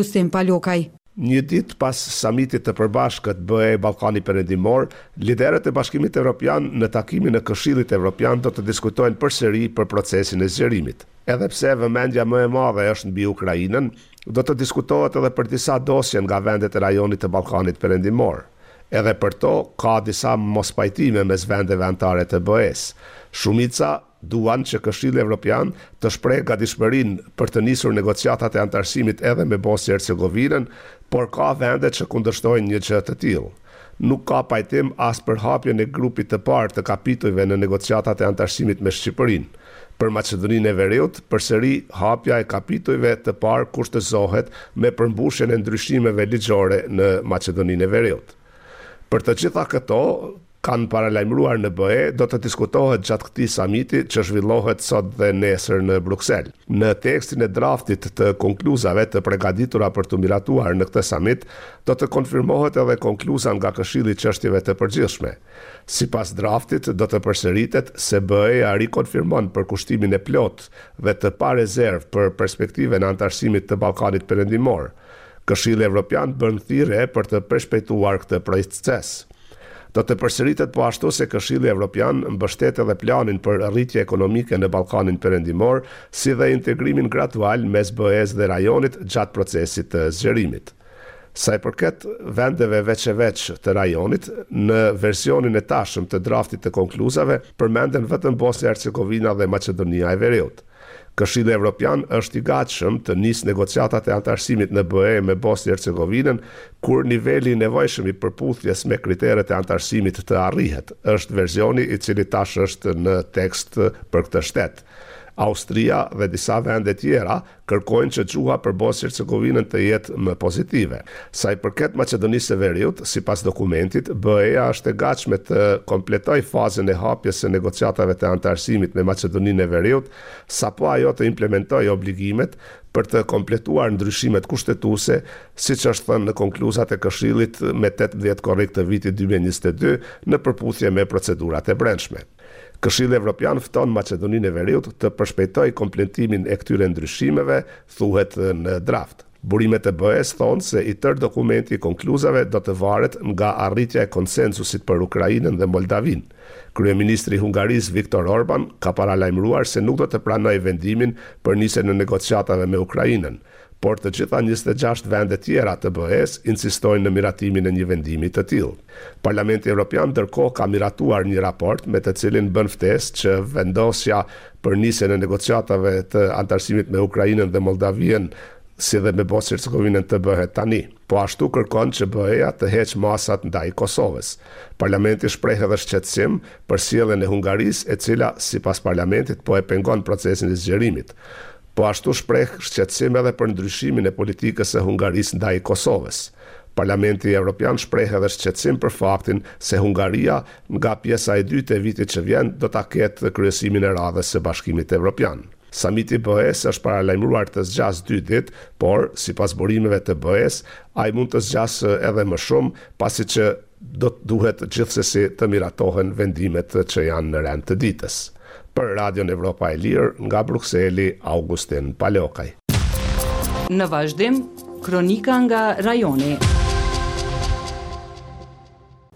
Augustin Palokaj. Një ditë pas samitit të përbashkët BE-Ballkani Perëndimor, liderët e Bashkimit Evropian në takimin e Këshillit Evropian do të diskutojnë përsëri për procesin e zgjerimit. Edhe pse vëmendja më e madhe është mbi Ukrainën, do të diskutohet edhe për disa dosje nga vendet e rajonit të Ballkanit Perëndimor. Edhe për to ka disa mospajtime mes vendeve anëtare të BE-së. Shumica Duan që Këshilli Evropian të shprehë gatishmërinë për të nisur negociatat e anëtarësimit edhe me Bosnjë-Hercegovinën, por ka vende që kundërshtojnë një gjë të tillë. Nuk ka pajtim as për hapjen e grupit të parë të kapitujve në negociatat e anëtarësimit me Shqipërinë. Për Maqedoninë e Veriut, përsëri hapja e kapitujve të parë kushtëzohet me përmbushjen e ndryshimeve ligjore në Maqedoninë e Veriut. Për të gjitha këto, kanë paralajmëruar në BE, do të diskutohet gjatë këtij samiti që zhvillohet sot dhe nesër në Bruksel. Në tekstin e draftit të konkluzave të pregaditura për t'u miratuar në këtë samit, do të konfirmohet edhe konkluza nga Këshilli i Çështjeve të Përgjithshme. Sipas draftit, do të përsëritet se BE-ja rikonfirmon përkushtimin e plotë dhe të parezervë për perspektivën e anëtarësimit të Ballkanit Perëndimor. Këshilli Evropian bën thirrje për të përshpejtuar këtë proces. Do të përsëritet po ashtu se Këshilli Evropian mbështet edhe planin për rritje ekonomike në Ballkanin Perëndimor, si dhe integrimin gradual mes BE-së dhe rajonit gjatë procesit të zgjerimit. Sa i përket vendeve veç e veç të rajonit, në versionin e tashëm të draftit të konkluzave përmenden vetëm Bosnja e Hercegovina dhe Maqedonia e Veriut. Këshilli Evropian është i gatshëm të nisë negociatat e anëtarësimit në BE me Bosnjë-Hercegovinën kur niveli i nevojshëm i përputhjes me kriteret e anëtarësimit të arrihet, është versioni i cili tash është në tekst për këtë shtet. Austria dhe disa vende tjera kërkojnë që gjuha për Bosnjë-Hercegovinën të jetë më pozitive. Sa i përket Maqedonisë së Veriut, sipas dokumentit, BE-ja është e gatshme të kompletojë fazën e hapjes së negociatave të anëtarësimit me Maqedoninë e Veriut, sapo ajo të implementojë obligimet për të kompletuar ndryshimet kushtetuese, siç është thënë në konkluzat e Këshillit me 18 korrik të vitit 2022, në përputhje me procedurat e brendshme. Këshilli Evropian fton Maqedoninë e Veriut të përshpejtojë kompletimin e këtyre ndryshimeve, thuhet në draft. Burimet e BE-së thonë se i tërë dokumenti i konkluzave do të varet nga arritja e konsensusit për Ukrainën dhe Moldavinë. Kryeministri i Hungarisë Viktor Orban ka paralajmëruar se nuk do të pranojë vendimin për nisjen e negociatave me Ukrainën, por të gjitha 26 vendet tjera të BE-së insistojnë në miratimin e një vendimi të tillë. Parlamenti Evropian ndërkohë ka miratuar një raport me të cilin bën ftesë që vendosja për nisjen e negociatave të anëtarësimit me Ukrainën dhe Moldavinë si dhe me Bosnjë-Hercegovinën të bëhet tani. Po ashtu kërkon që BE-ja të heqë masat ndaj Kosovës. Parlamenti shpreh edhe shqetësim për sjelljen e Hungarisë, e cila, sipas parlamentit, po e pengon procesin e zgjerimit. Po ashtu shpreh shqetësim edhe për ndryshimin e politikës së Hungarisë ndaj Kosovës. Parlamenti Evropian shpreh edhe shqetësim për faktin se Hungaria nga pjesa e dytë e vitit që vjen do ta ketë kryesimin e radhës së Bashkimit Evropian. Samiti i BE-së është paralajmëruar të zgjasë dy ditë, por, sipas burimeve të BE-së, ai mund të zgjasë edhe më shumë, pasi që do të duhet gjithsesi të miratohen vendimet që janë në rend të ditës. Për Radion Evropa e Lirë, nga Brukseli, Augustin Palokaj. Në vazhdim, kronika nga rajoni.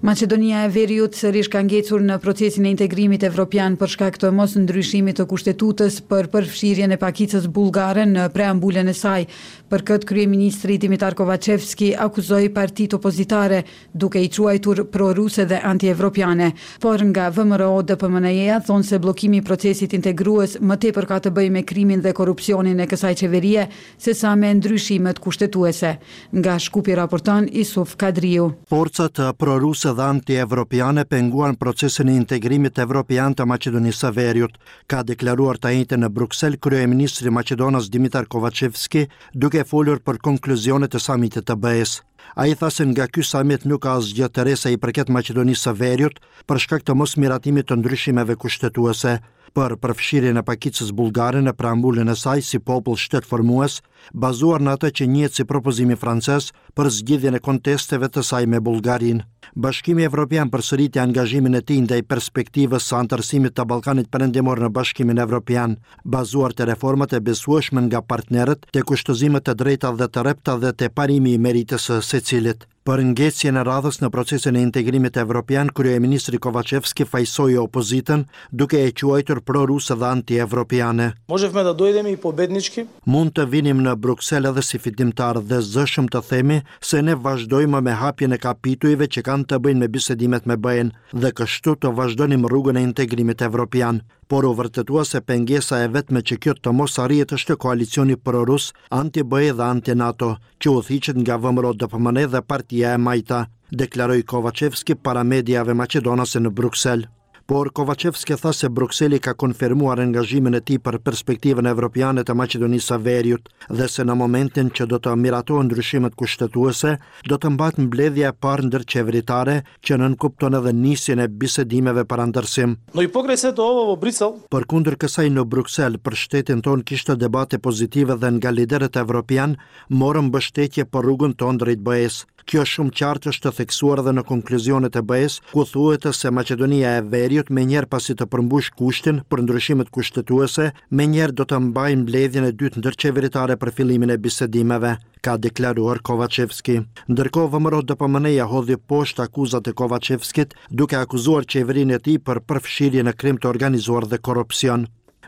Maqedonia e Veriut sërish ka ngecur në procesin e integrimit evropian për shkak të mosndryshimit të kushtetutës për përfshirjen e pakicës bullgare në preambulën e saj. Për këtë kryeministri Dimitar Kovaçevski akuzoi partitë opozitare, duke i quajtur pro-ruse dhe anti-evropiane. Por nga VMRO-DPMNE-ja thonë se bllokimi i procesit integrues më tepër ka të bëjë me krimin dhe korrupsionin e kësaj qeverie, sesa me ndryshimet kushtetuese. Nga Shkupi raporton Isuf Kadriu. Forcat proruse dhe anti-evropiane penguan procesin e integrimit evropian të Maqedonisë së Veriut, ka deklaruar të enjten në Bruksel kryeministri maqedonas Dimitar Kovaçevski, duke folur për konkluzionet e samitit të BE-së. Ai tha se nga ky samit nuk ka asgjë të re sa i përket Maqedonisë së Veriut, për shkak të mosmiratimit të ndryshimeve kushtetuese. për përfshirjen e pakicës bullgare në preambulën e saj si popull shtetformues, bazuar në atë që njihet si propozimi francez për zgjidhjen e kontesteve të saj me Bullgarinë. Bashkimi Evropian përsëriti angazhimin e tij ndaj perspektivës së anëtarësimit të Ballkanit Perëndimor në Bashkimin Evropian, bazuar te reformat e besueshme nga partnerët, te kushtëzimet e drejta dhe të rrepta dhe te parimi i meritës së secilit. Për ngecjen e radhës në procesin e integrimit evropian, kryeministri Kovaçevski fajësoi opozitën, duke e quajtur proruse dhe anti-evropiane. Можевме да дојдеме и победнички. Mund të vinim në Bruksel edhe si fitimtarë dhe zëshëm të themi se ne vazhdojmë me hapjen e kapitujve që kanë të bëjnë me bisedimet me BE-në dhe kështu të vazhdonim rrugën e integrimit evropian. Por u vërtetua se pengesa e vetme që kjo të mos arrihet është koalicioni prorus, anti-BE dhe anti-NATO, që udhëhiqet nga VMRO-DPMNE dhe Partia e Majta, deklaroi Kovaçevski para mediave maqedonase në Bruksel. Por Kovaçevski tha se Brukseli ka konfirmuar angazhimin e tij për perspektivën evropiane të Maqedonisë së Veriut dhe se në momentin që do të miratohen ndryshimet kushtetuese, do të mbahet mbledhja e parë ndërqeveritare që nënkupton edhe nisjen e bisedimeve për anëtarësim. Но и покрај сето ова во Брисел, Përkundër kësaj në Bruksel për shtetin tonë kishte debate pozitive dhe nga liderët evropianë morëm mbështetje për rrugën tonë drejt BE-së. Kjo shumë qartë është theksuar edhe në konkluzionet e BE-së, ku thuhet se Maqedonia e Veriut menjëherë pasi të përmbush kushtin për ndryshimet kushtetuese, menjëherë do të mbajë mbledhjen e dytë ndërqeveritare për fillimin e bisedimeve ka deklaruar Kovaçevski. Ndërkohë VMRO-DPMNE-ja hodhi poshtë akuzat e Kovaçevskit, duke akuzuar qeverinë e tij për përfshirje në krim të organizuar dhe korrupsion.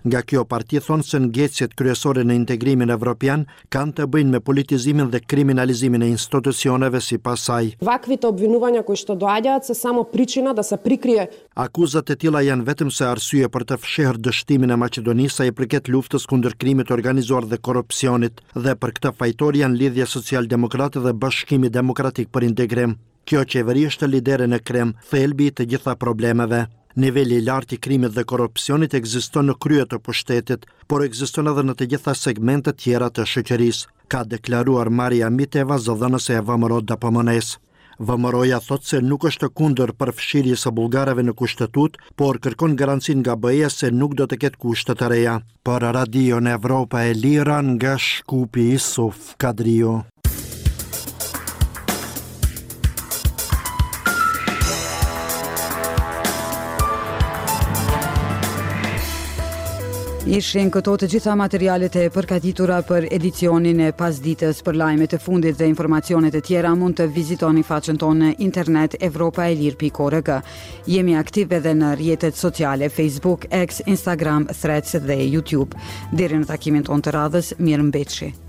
Nga kjo parti thonë se ngecjet kryesore në integrimin evropian kanë të bëjnë me politizimin dhe kriminalizimin e institucioneve sipas saj. Ваквите обвинувања кои што доаѓаат се само причина да се прикрие Akuzat e tilla janë vetëm se arsye për të fshehur dështimin e Maqedonisë sa i përket luftës kundër krimit të organizuar dhe korrupsionit, dhe për këtë fajtor janë Lidhja Socialdemokrate dhe Bashkimi Demokratik për Integrim. Kjo qeveri është lidere në krim, thelbi i të gjitha problemeve. Niveli i lartë i krimit dhe korrupsionit ekziston në krye të pushtetit, por ekziston edhe në të gjitha segmentet tjera të shoqërisë, ka deklaruar Maria Miteva, zëdhënëse e VMRO-DPMNE-së. VMRO-ja thotë se nuk është kundër përfshirjes së bullgarëve në kushtetutë, por kërkon garancinë nga BE-ja se nuk do të ketë kushte të reja. Për Radion Evropa e Lirë nga Shkupi Isuf Kadriu. Ishin këto të gjitha materialet e përgatitura për edicionin e pasdites për lajmet e fundit dhe informacionet e tjera mund të vizitoni faqen tonë në internet evropaelire.org. Jemi aktiv edhe në rrjetet sociale Facebook, X, Instagram, Threads dhe YouTube. Deri në takimin tonë të radhës, mirëmbetshi.